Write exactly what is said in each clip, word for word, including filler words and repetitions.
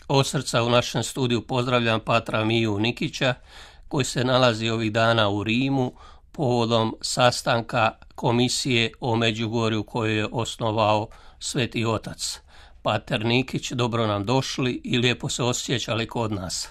Od srca u našem studiju pozdravljam patra Miju Nikića koji se nalazi ovih dana u Rimu povodom sastanka komisije o Međugorju koju je osnovao Sveti Otac. Pater Nikić, dobro nam došli i lijepo se osjećali kod nas.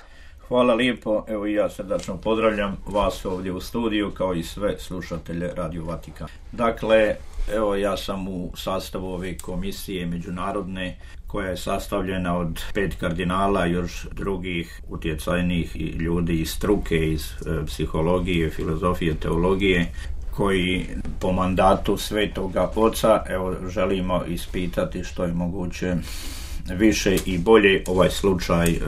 Hvala lijepo, evo i ja srdačno pozdravljam vas ovdje u studiju kao i sve slušatelje Radio Vatikan. Dakle, evo ja sam u sastavu ove komisije međunarodne koja je sastavljena od pet kardinala, još drugih utjecajnih ljudi iz struke, iz e, psihologije, filozofije, teologije, koji po mandatu Svetoga Oca evo želimo ispitati što je moguće više i bolje ovaj slučaj e,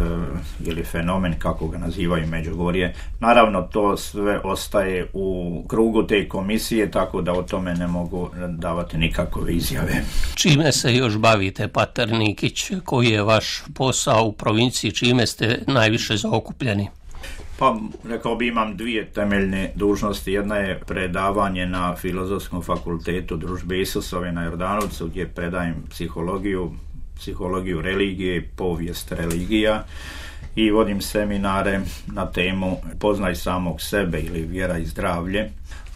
ili fenomen, kako ga nazivaju Međugorje. Naravno, to sve ostaje u krugu te komisije, tako da o tome ne mogu davati nikakve izjave. Čime se još bavite, pater Nikić? Koji je vaš posao u provinciji? Čime ste najviše zaokupljeni? Pa, rekao bi, imam dvije temeljne dužnosti. Jedna je predavanje na Filozofskom fakultetu Družbe Isusove na Jordanovcu, gdje predajem psihologiju, psihologiju religije, povijest religija i vodim seminare na temu Poznaj samog sebe ili vjera i zdravlje.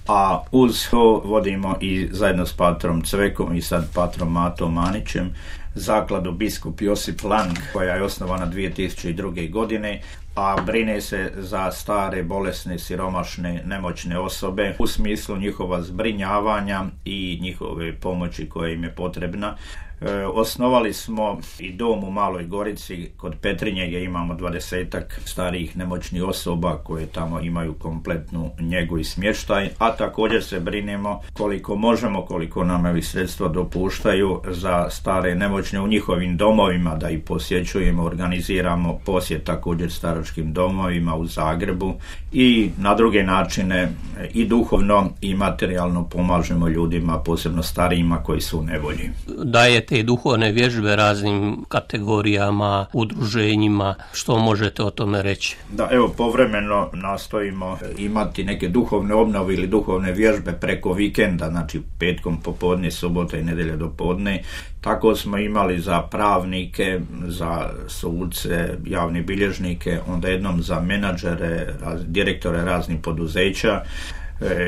A uz to vodimo i zajedno s patrom Cvekom i sad patrom Matom Manićem zakladu Biskup Josip Lang, koja je osnovana dvije tisuće druge. godine, a brine se za stare, bolesne, siromašne, nemoćne osobe u smislu njihova zbrinjavanja i njihove pomoći koja im je potrebna. E, osnovali smo i dom u Maloj Gorici kod Petrinje gdje imamo dvadesetak starijih nemoćnih osoba koje tamo imaju kompletnu njegu i smještaj, a također se brinemo koliko možemo, koliko nam evi sredstva dopuštaju za stare nemoćne u njihovim domovima, da ih posjećujemo, organiziramo posjet također staračkim domovima u Zagrebu i na druge načine i duhovno i materijalno pomažemo ljudima, posebno starijima koji su u nevolji. Dajete i duhovne vježbe raznim kategorijama, udruženjima, što možete o tome reći? Da, evo, povremeno nastojimo imati neke duhovne obnove ili duhovne vježbe preko vikenda, znači petkom popodne, subota i nedjelje do podne. Tako smo imali za pravnike, za suce, javne bilježnike, onda jednom za menadžere, direktore raznih poduzeća,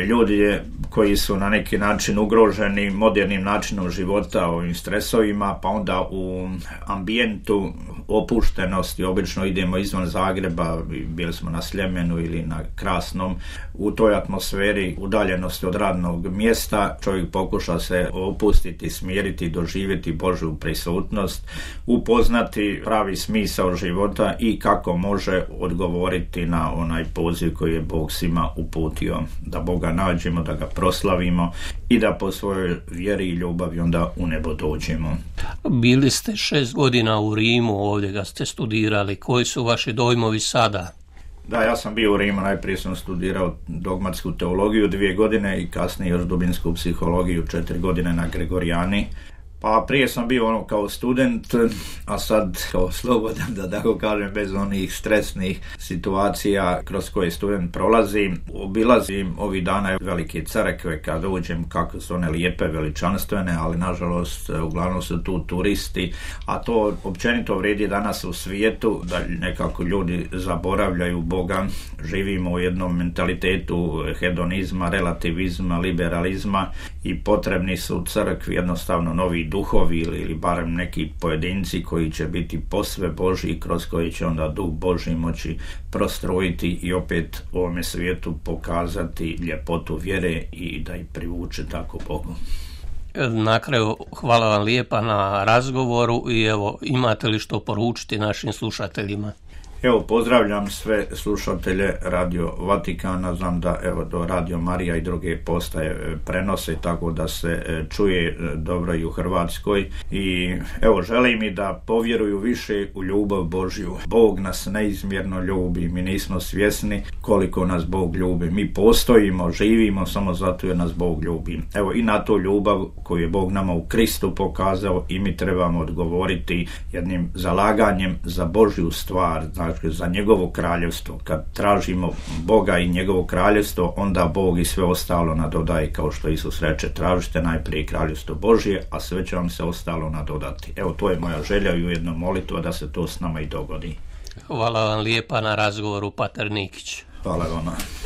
ljudi koji su na neki način ugroženi modernim načinom života, ovim stresovima, pa onda u ambijentu opuštenosti, obično idemo izvan Zagreba, bili smo na Sljemenu ili na Krasnom, u toj atmosferi udaljenosti od radnog mjesta čovjek pokuša se opustiti, smiriti, doživjeti Božju prisutnost, upoznati pravi smisao života i kako može odgovoriti na onaj poziv koji je Bog svima uputio, da Boga nađemo, da ga proslavimo i da po svojoj vjeri i ljubavi onda u nebo dođemo. Bili ste šest godina u Rimu, ovdje ga ste studirali. Koji su vaši dojmovi sada? Da, ja sam bio u Rimu, najprije sam studirao dogmatsku teologiju dvije godine i kasnije još dubinsku psihologiju četiri godine na Gregorijani. Pa prije sam bio ono kao student, a sad kao slobodan, da tako kažem, bez onih stresnih situacija kroz koje student prolazi. Obilazim ovih dana velike crkve kad uđem, kako su one lijepe, veličanstvene, ali nažalost uglavnom su tu turisti, a to općenito vrijedi danas u svijetu, da nekako ljudi zaboravljaju Boga. Živimo u jednom mentalitetu hedonizma, relativizma, liberalizma i potrebni su u crkvi jednostavno novi duhovi ili, ili barem neki pojedinci koji će biti posve Božji i kroz koji će onda duh Božji moći prostrojiti i opet u ovome svijetu pokazati ljepotu vjere i da ih privuče tako Bogu. Na kraju, hvala vam lijepa na razgovoru i evo, imate li što poručiti našim slušateljima? Evo, pozdravljam sve slušatelje Radio Vatikana, znam da evo do Radio Marija i druge postaje prenose, tako da se čuje dobro i u Hrvatskoj i evo, želim i da povjeruju više u ljubav Božju. Bog nas neizmjerno ljubi, mi nismo svjesni koliko nas Bog ljubi. Mi postojimo, živimo samo zato jer nas Bog ljubi. Evo, i na tu ljubav koju je Bog nama u Kristu pokazao i mi trebamo odgovoriti jednim zalaganjem za Božju stvar, znači dakle za njegovo kraljevstvo. Kad tražimo Boga i njegovo kraljevstvo, onda Bog i sve ostalo nadodaje, kao što Isus reče, tražite najprije kraljevstvo Božje, a sve će vam se ostalo nadodati. Evo, to je moja želja i ujedno molitva da se to s nama i dogodi. Hvala vam lijepa na razgovoru, pater Nikić. Hvala vama.